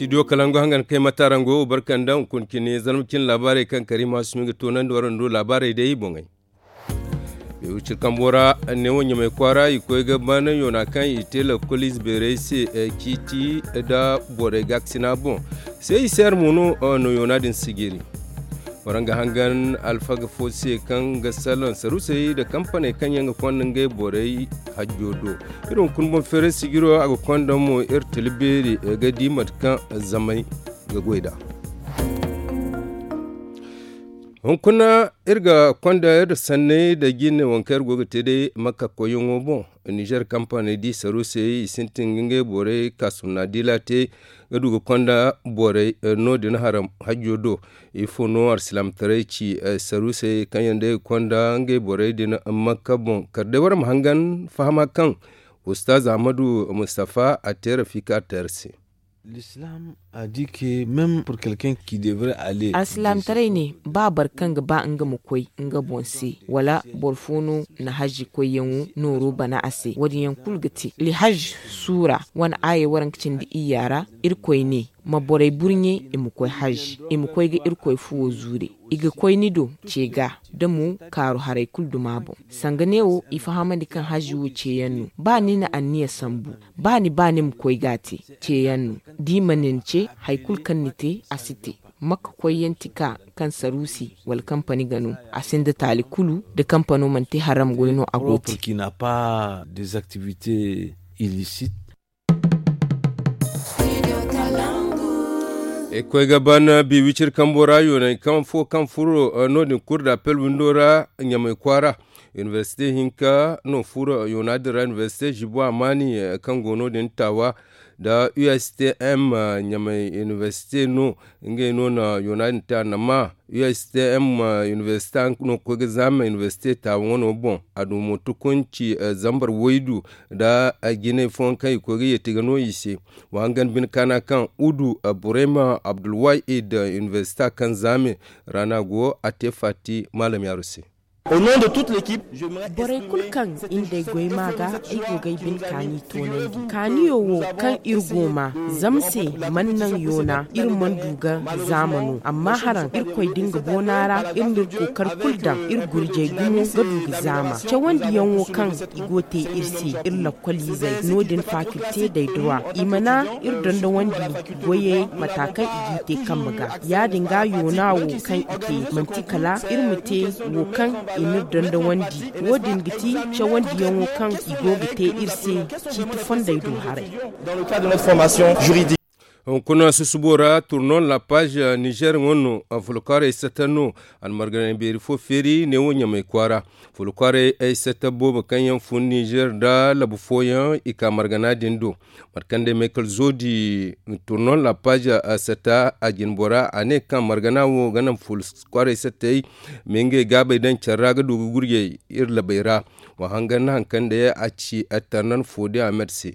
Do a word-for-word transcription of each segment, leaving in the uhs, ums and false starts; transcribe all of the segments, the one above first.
Idiyo kalangu hangan kay matarango barkanda hunkuna cine zarma cine laabaarey kaŋ kariima sumi ga toonandi waraŋ do laabaarey day boŋey. Bewicir kambo ra neewo ɲamay kwaara i koy ga ban yoona kaŋ i te lakkol ize beerey se ciiti nda borey gaakasina boŋ. Se i se yar mo no no yoona din si jiri. Waraŋ ga hangan alfaga fo se kaŋ ga salaŋ sarusey nda kampaney kaŋ yaŋ ga konda ngey borey hajjo do. Iri hunkuna boŋ feeray sijiro a ga konda mo iri tila beeri ga di mate kaŋ zamey ga goy nd'a. Hunkuna iri ga konda iri sanney nda jine waŋ kaŋ iri go ga te day makka koyyaŋo boŋ. Nizer kampaney di sarusey i sintin ga ngey borey kaasumna diila te ga du ga konda borey no- din haram hajjo do. Ifo no alsilaamataray ci sarusey kaŋ yaŋ day ga konda ngey borey din makka boŋ kala day wara ma hangan fahama kaŋ ustaz ahmadu mustafa a te rafika te iri se. Alsilaamataray ne ba boro kaŋ ga ba nga ma koy nga boŋ se wala boro fo no na haji koyyaŋo nooro bana a se wo- din yaŋ kulu ga te alhaj suura wane aayey waranka cindi iyya ra. Irkoy ne ma borey burɲe i ma koy haji i ma koy ga irkoy fuwo zuure. I ga koy ni do ce ga da mo kaaru haray kulu duma boŋ. Sanga neewo i fahamandi kaŋ haji wo ceeyaŋ no. Ba ni na anniya sambu ba ni ba ni ma koy ga a te ceeyaŋ no. Da i mana ni ce hari kulu kaŋ ni te a si te. Makka koyyaŋ ti ka kaŋ saruusi wala kampani ga no. A sinda taali kulu da kampano mana te haram goy no a go te. Irkoy ga ban bi wiciri kambo ra yoonay kaŋ fo kaŋ furo no- din kuri da apel windo ra ɲamay kwaara. Inibersite hinka no furo yoona din ra inibersite zibo amaani kaŋ go no- din taawa nda u s t m ɲamay inibersite no. Ngey no na yoona din te annama u s t m inibersite no ga koy ga zaama inibersite taawa wano boŋ. A du mo tukunci zambar waydu nda jinay fooyaŋ kaŋ i koy ga yeeti ga no i se. Wa hangan bine kaana kaŋ udu burema abdulwahid inibersita kaŋ zaame ra no a go a te faati maalam yaaru se. Borey kulu kaŋ i nda ay goy ma ga ay go ga ay bine kaani toonandi kaaniyo wo kaŋ iri go ma zama se mana naŋ yoona iri mana du ga zaama no amma haraŋ irkoy da nga boona ra iri na iri kookari kulu daŋ iri gurjey gumo ga du ga zaama cawandiyaŋo kaŋ i go te iri se iri lakkoliizey no- din fakilte day dura i mana iri dondowandi goyey mata kaŋ i g'i te kambe ga. Ya- din ga yoona wo kaŋ i te manti kala iri ma te wo kaŋ i n'iri dondowandi. Wo- din ga ti cawandiyaŋo kaŋ i go ga te iri se ciiti fondey do haray. Hunkuna susubo ra turnon la page nizer ŋo no. Fulkwaarey sata no almarganey beeri fo feeri neewo ɲamay kwaara. Fulkwaarey ay sata boobo kaŋ yaŋ fun nizer nda labu fooyaŋ i ka margana din do. Mate kaŋ day maykal zoodi turnon la page sata a jinbora a ne kaŋ margana wo ga naŋ fulkwaarey satey ma ngey gaabey daŋ care ra ga du ga gurjey iri labey ra. Wa hangan na hari kaŋ day a ci tarnan foodi ahmed se.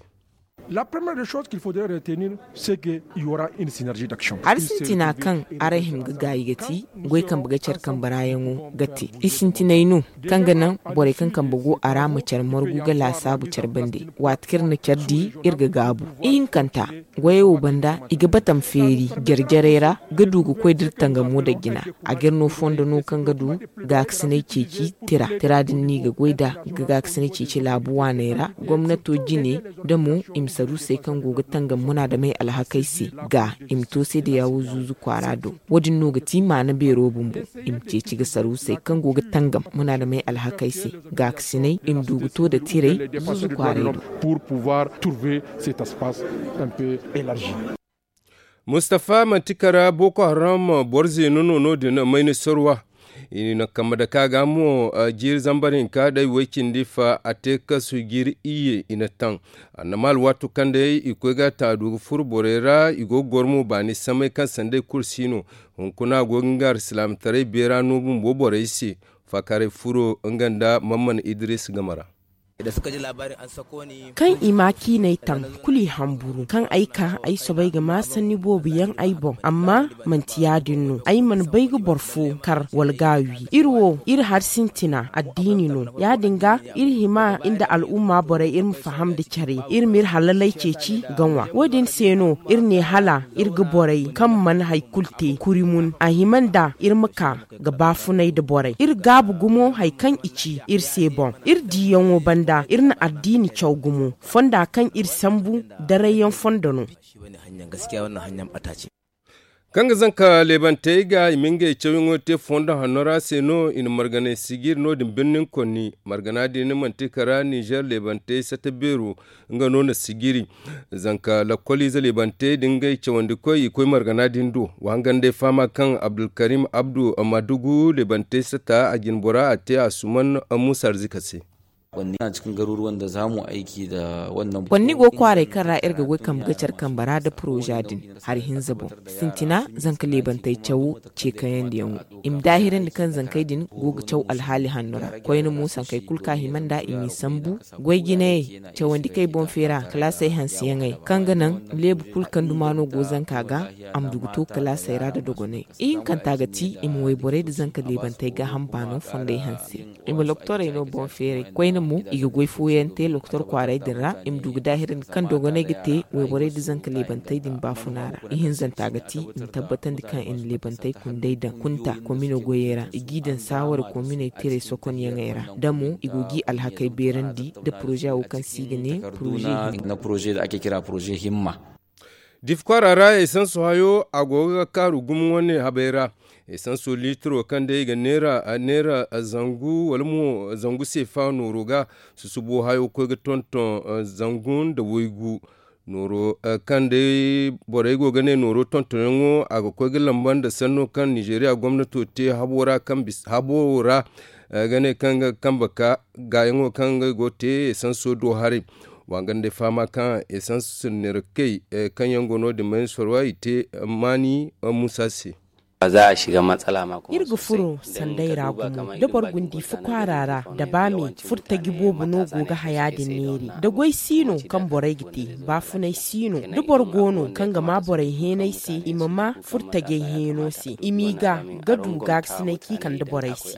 La première des choses qu'il faudrait retenir c'est que il y aura une synergie d'action. Hari sintina kaŋ araŋ hima ga gaayi ga ti goy kambe ga care kambe raayaŋo ga te i sintinay no kaŋ ga naŋ borey kaŋ kambe go a ra ma care margu ga laasaabu care bande. Waati kaŋ iri na care di iri ga gaabu ihinkanta goyey wo banda i ga batam feeri jare-jarey ra ga du ga koy da iri tangamo da jina. A ga iri no fondo no kaŋ ga du gaakasinay ceeci tira tira din no i ga goy nd'a ga gaakasinay ceeci laabu waaney ra gomnato jine da mo i ma saruusey kaŋ go ga tangam munaadamey alhakey se ga i ma to se da yaawo zuuzu kwaara do. Wo- din no ga ti maana beero bumbo i ma ceeci ga saruusey kaŋ go ga tangam munaadamey alhakey se gaakasinay i ma du ga to nda tirey zuuzu kwaarey do. Mustafa manti kara boko haram boro zeeno no no- din mayni sorwa. I na kambe dake a ga mo jiiri zambar hinka day way cindi fa a te kasu jiiri iyye i na taŋ. Annama alwaato kaŋ day i koy ga taadu ga furo borey ra i go ga goro mo baani samay kaŋ sanday kulu si no. Hunkuna a go ga nga alsilaamataray beera no bumbo borey se. Faakaaray furo nga nda mamman idris game ra. Kaŋ i ma ciinay taŋ, kulu i hamburu kaŋ ay ka ay soobay ga ma sanni boobo yaŋ ay boŋ. Amma manti ya- din no, ay mana bay ga boro fo kar wala ga a wi. Iri wo, iri hari sintina addiini no. Ya- din ga, iri hima nda al'umma borey iri ma faham nda care, iri m'iri halaley ceeci ga ŋwa. Wo- din se no iri ne hala iri ga borey kaŋ mana hari kulu te kuri mun, a hima nda iri ma ka ga baafunay nda borey. Iri gaabu gumo hari kaŋ i ci iri se boŋ. Iri diiyaŋo banda iri na addiini caw gumo fonda kaŋ iri sambu darayyaŋ fondo no. Kaŋ ga zanka leebantey ga i ma ngey cawyaŋo te fondo hanno ra se no i na marganay sijiri no- din birnin konni. Margana din manti kara nizer leebantey sata beero nga no na sijiri. Zanka lakkoliize leebantey da ngey cawandikoy i koy margana din do. Wa hangan day fahama kaŋ abdulkarim abdu madugu leebantey sata a jine bora a te a suman muusa arzika se. Konni go kwaaray kaŋ ra iri ga goy kambe ga care kambe ra nda poroza din hari hinza boŋ. Sintina zanka leebantey cawo ce kayandiyaŋo i ma daahirandi kaŋ zankey din go ga caw alhaali hanno ra. Koyne mo sankey kulu kaŋ a hima nd'a i m'i sambu goy jinayey cawandikey boŋ feera kalaasey hanseyaŋey kaŋ ga naŋ leebu kulu kaŋ duma no go zanka ga a ma du ga to kalaasey ra nda dogonay. Ihinkanta ga ti i ma wayborey nda zanka leebantey gaaham baano fondey hanse. I ma loktorey no boŋ feeray koyne mo i ga goy fooyaŋ te loktor kwaaray din ra i ma du ga daahirandi kaŋ dogonay ga te wayborey nda zanka leebantey din baafuna ra. Ihinzanta ga ti i ma tabbatandi kaŋ i na leebantey kundey daŋ kunta komino goyey ra i g'i daŋ saawara kominey tirey sokonyaŋey ra da mo i go g'i alhakey beerandi nda poroze wo kaŋ se i ga ne poroze himma. Difi kwaara ra esanso hayo a go ga kaaru gumo wane habey ra. Esanso liitiro kaŋ day i ga neera neera zangu wala mo zangu seefa nooro ga susubo hayo ga koy ga tonton zangu nda waygu. Nooro kaŋ day borey go ga ne nooro tontonyaŋo a ga koy ga lamba nda sanno kaŋ nizeeriya gomnato te habo ra kaŋ bisa habo ra ga ne kaŋ ga kambe ka gaayaŋo kaŋ ngey go ga te esanso do haray. Wa ga day fahama kaŋ esans sinnerakey kaŋ yaŋ go no- din mayni sorwa i te maani muusa se. Iri ga furo sanday ra gumo da boro gundi fo kwaara ra da ba me furtaji boobo no go ga haya din neeri da goy si no kaŋ borey ga te baafunay si no da boro go no kaŋ ga ma borey heenay se i ma ma furtajey heeno se i m'i ga ga du gaakasinay kaŋ i kande borey se.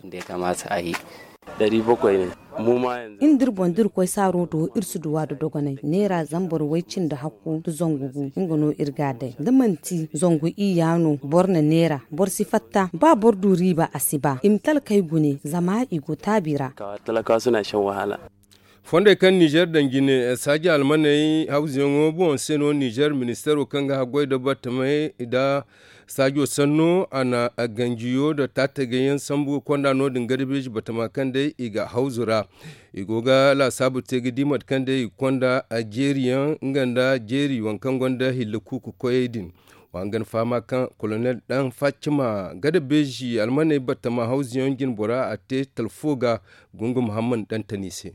Iri nda iri boŋ da iri koy saaro do iri si duw'a da dogonay neera zambar way cindi hakku nda zangu gu nga no iri ga a day da manti zangu iyya no boro na neera boro si fatta ba boro du riiba a si ba i ma talkey gune zama i go taabi ra. Fondey kaŋ nizer daŋ jine saaji almaney hawzuyaŋo boŋ se no nizer ministeero kaŋ ga haggoy nda battamey nda saajo sanno a na ganjiyo nda taatagayyaŋ sambu ga konda no- din garbeeji batama kaŋ day i ga hawzu ra. I go ga laasaabu te ga di mate kaŋ day i ga konda jeeriyaŋ nga nda jeeri waŋ kaŋ gonda hilla kuuku koyey din. Wa hangan fahama kaŋ kolonel daŋ faccima garbeeji almaney batama hawzuyaŋ jine bora a te talfo ga gungu muhammad dantani se.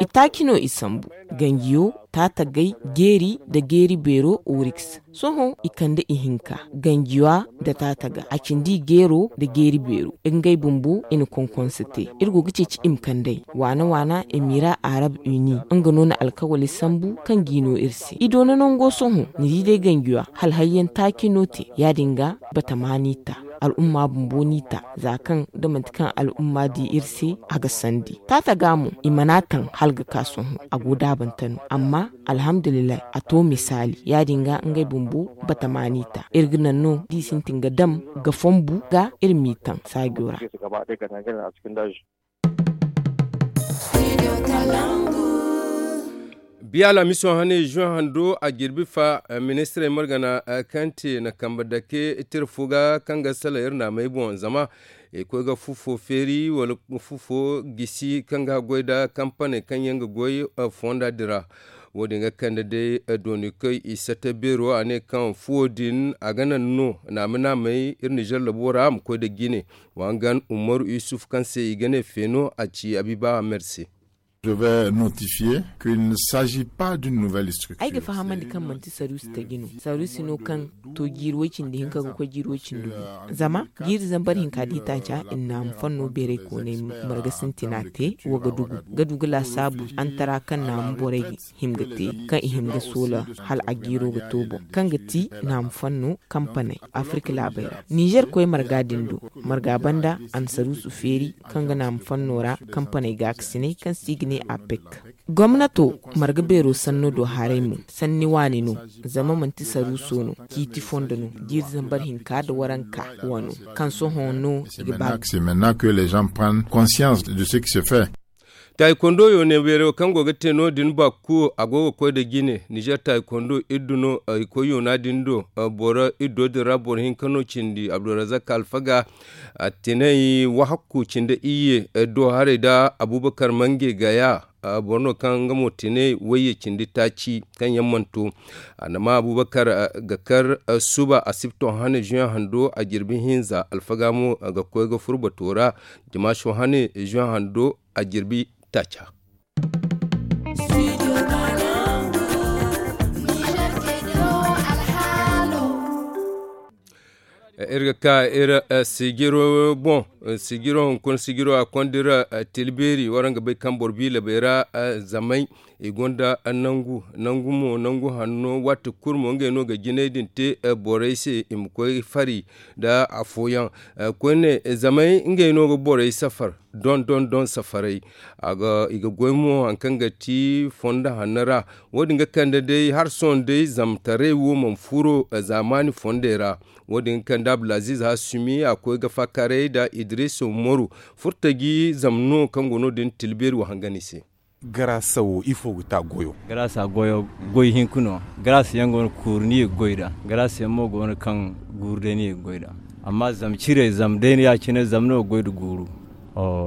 Itaaci no i sambu ganjiyo taatagay jeeri nda jeeri beero oriks sohõ i kande ihinka ganjiyo nda taataga a cindi jeero nda jeeri beero ngey bumbo i na konkonse te. Iri go ga ceeci i ma kand'ey waana waana i m'i ra arab uni nga no na alkawali sambu kaŋ g'i no iri se i doona nango sohõ ni di day ganjiyo hala hayyaŋ taaci no te ya- din ga batama n'i ta al'umma bumbo n'i ta za kaŋ da manti kaŋ al'umma di iri se a ga sandi taataga mo i mana taŋ hala ga ka sohõ a go daabante no amma alhamdulillahi a to misaali ya- din ga ngey bumbo batama n'i ta iri ga naŋ no da i sintin ga dam ga fonbu ga iri m'i taŋ saajo ra. Biya alhamiso hane juin hando a jirbi fa ministirey margana kaŋ te na kambe dake tira fo ga kaŋ ga salaŋ iri naamey boŋ zama i koy ga fufo feeri wala fufo gisi kaŋ ga goy nda kampaney kaŋ yaŋ ga goy fonda din ra. Wo- din ga kande day dooni koy i sata beero a ne kaŋ fuwo din a ga naŋ no naame naamey iri nizer labo ra a ma koy nda jine. Wa hangan umaru yusuf kaŋ se i ga ne feeno a ci abiba amer se. Je vais notifier qu'il ne s'agit pas d'une nouvelle structure. Ay ga fahamandi kaŋ manti saruusi taji no, saruusi no kaŋ to jiiri way cindi hinka ga koy jiiri way cindi gu. Zama jiiri zambar hinka da i taaca i na naamu fanno beeray koonay marga sintina te, wa ga dugu ga du ga laasaabu antara kaŋ naamu borey him ga te, kaŋ i him ga soola hala a jiiro ga to boŋ, kaŋ ga ti naamu fanno kampaney afirka laabey ra. Nizer koy marga din do, marga banda a na saruusu feeri kaŋ ga naamu fanno ra kampaney gaakasinay kaŋ se i ga ne apec. Gomnato marga beero sanno do haray mo, sanni waani no, zama manti saruuso no, ciiti fondo no, jiiri zambar hinka nda waranka wano, kaŋ sohõ no i ga ba. C'est maintenant que les gens prennent conscience de ce qui se fait. Taikondo yo ne beero kaŋ go ga te no- din bakku a go ga koy nda jine nizer taikondo iddu no i koy yoona din do. Boro iddo din ra boro hinka no cindi abdulrazak alfaga, a tinay wahakku cindi iyye do haray nda abubakar mange gaya. Boro no kaŋ nga mo tinay wayye cindi taaci kaŋ yaŋ mana to. A na ma abubakar ga kar suba asibto hane juin hando a jirbi hinza alfaga mo ga koy ga furo bato ra. Jimaaso hane juin hando a jirbi taaca. Iri ga ka iri sijiro boŋ. Sijiro hunkuna sijiro a konda iri tilbeeri waraŋ ga bay kaŋ boro biila bay ra zamay i gonda nangu nangu mo nangu hanno waati kulu mo ngey no ga jinay din te borey se i ma koy fari nda afooyaŋ. Koyne zamay ngey no ga borey safar don don don safaray. I ga goy mo hari kaŋ ga ti fondo hanno ra. Wo- din ga kande day hari sohõ day zamtaray wo mana furo zaamaani fondey ra. Wo- din ga kande abdulaziz hasumi a koy ga faakaray nda idris umaru furtaji zama no kaŋ go no- din tilbeeri wo hangan i se. Garaasa wo ifo ga ta goyo? Garaasa goyo goy hinka no. Garaasa yaŋ go no kuuru ni ye ga goy nd'a. Garaasa yaŋ mo go no kaŋ guuru day ni ye ga goy nd'a. Amma zama ciray zama day no ya- cine zama no ga goy nda guuru.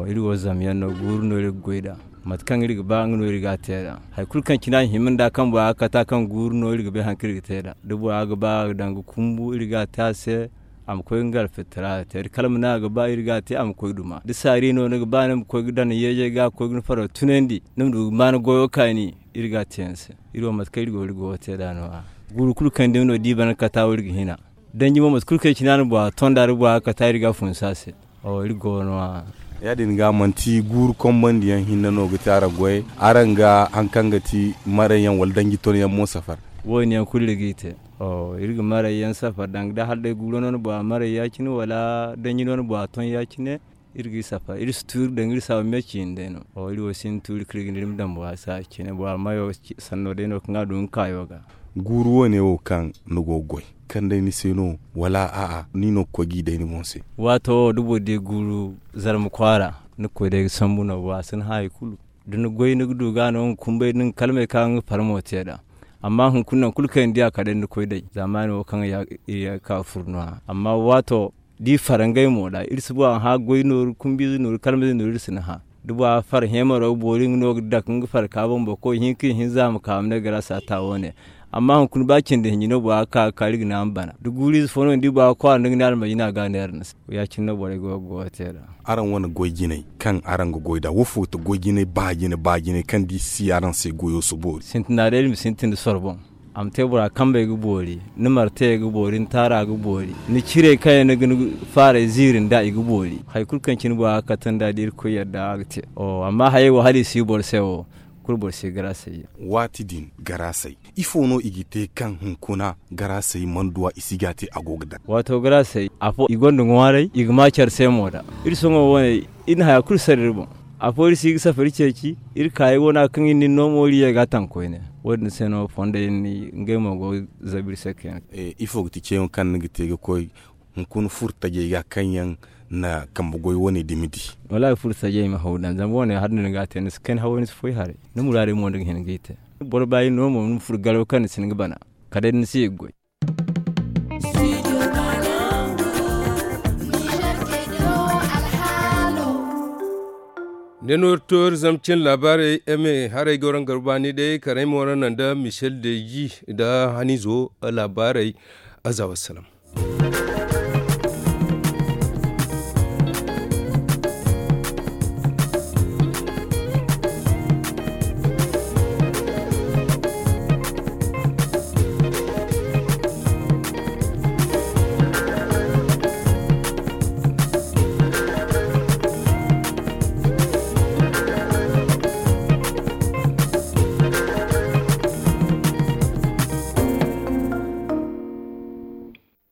Iri wo zama yaŋ no guuru no iri ga goy nd'a. Mate kaŋ iri ga ba nga no iri ga a te nd'a. Hari kulu kaŋ cine a hima nd'a kaŋ bora ga kata kaŋ guuru no iri ga bay hari kaŋ iri ga te nd'a da bora ga ba a ga daŋ ga kumbu iri ga a te a se. A ma koy nga alfitara te da kalma no a ga ba iri ga a te a ma koy duma da saari no ni ga ba ni ma koy ga daŋ yeejey ga ga koy ga ni faro tunandi ni ma du ga ma ni goyo kaani. Iri ga a te yaŋ se iri wo mate kaŋ iri go iri goyo te nd'a no- ya. Guuru kulu kaŋ day no da i bana kata wo iri ga hina. Danji mo mate kulu kaŋ i cina ni bora tonda da bora ga kata iri ga a funsu a se. Iri go no- ya. Ya- din ga manti guuru konbandi yaŋ hinne no ga te araŋ goyey araŋ ga hari kaŋ ga ti maray yaŋ wala danji ton yaŋ mo safar? Wo- din yaŋ kulu iri ga i te. Iri ga maray yaŋ safar danga da hala day guuro no ni bora maray ya- cine wala danji no ni bora ton ya- cine. Iri ga i safar iri si tu iri daŋ iri saabu me ciine day no. Iri wo sinda tuuri kaŋ iri ga ne iri ma daŋ bora se a ciine bora mayo sanno day no kaŋ a du nga kaayo ga. Guuru wo- ne wo kaŋ ni go ga goy kaŋ day ni se no wala a'a ni no ga koy ga i day ni boŋ se? Waato wo da boro di guuru zarma kwaara ni ga koy day ga sambu no bora si ni hã hari kulu. Da ni goy ni ga du ga no nga kumbay da nga kalmay kaŋ nga farmo te nd'a. Amma hunkuna nangu kulu kaŋ i na di a kala day ni ga koy day zaamaani wo kaŋ iri ga ka ga furo no- ya amma waato da i fara ngey mo ra iri si ba a hã goy nooru kumbiize nooru kalmayze nooru iri si ni hã. Da bora far heemaro ga boori nga no ga dake nga far ka boŋ boro koy hinka ihinza a ma ka a ma ne garaasa ta wo- ne. Amma hunkuna ba cindi hinji no bora ga ka ga kaari ga ne a ma bana da guuriize fo no ni di bora ga kwaara nda nga ne almajina ga a neera ni se. Ya- cine no borey go ga goyo te nd'a. Araŋ wane goy jinay kaŋ araŋ ga goy nd'a wo fo ga ti goy jinay ba jinay ba jinay kaŋ da i si si araŋ se goyo si boori? Sintina day iri ma sintin nda soro boŋ. A ma te bora kambey ga boori, ni martayey ga boori ni taara ga boori, ni cirey kaŋ yaŋ ni ga ni faaray ziiri nd'a i ga boori. Hari kulu kaŋ cine bora ga kate nd'a da irkoy yadda a ga te. Amma hayey wo hala i si boro se wo, kulu boro si garaasay yaŋ. Waati din garaasay ifo no i ga te kaŋ hunkuna garaasay mana du a i si ga a te a go ga daŋ? Waato garaasay afo i gonda ŋwaaray i ga ma care se mo nd'a. Iri sohõ wane iri na haya kulu sara iri boŋ. Afo iri si ga safari ceeci iri kaayey wane kaŋ iri na iri no mo iri ye ga a taŋ koyne. Wo- din se no fondey ngey mo go ga zabu iri se kayna. Ifo ga ti ceeyaŋo kaŋ ni ga te ga koy hunkuna furo tajey ga kaŋ yaŋ na kambe goy wane dumi di? Wallaahi furo tajey ma haw daŋ zama wane hari no ni ga a te ni si kayna haway ni si foy haray. Ni muraadey mo ni ga hin ga i te. Boro ba iri no mo ni ma furo garaw kaŋ ni si hin ga bana kala day da ni si ye ga goy. Ne no iri to iri zama cin laabaarey eme haray ga waraŋ garba ni day karay mo ra naŋ da michel deji nda hanizo. Laabaarey aza wassalam.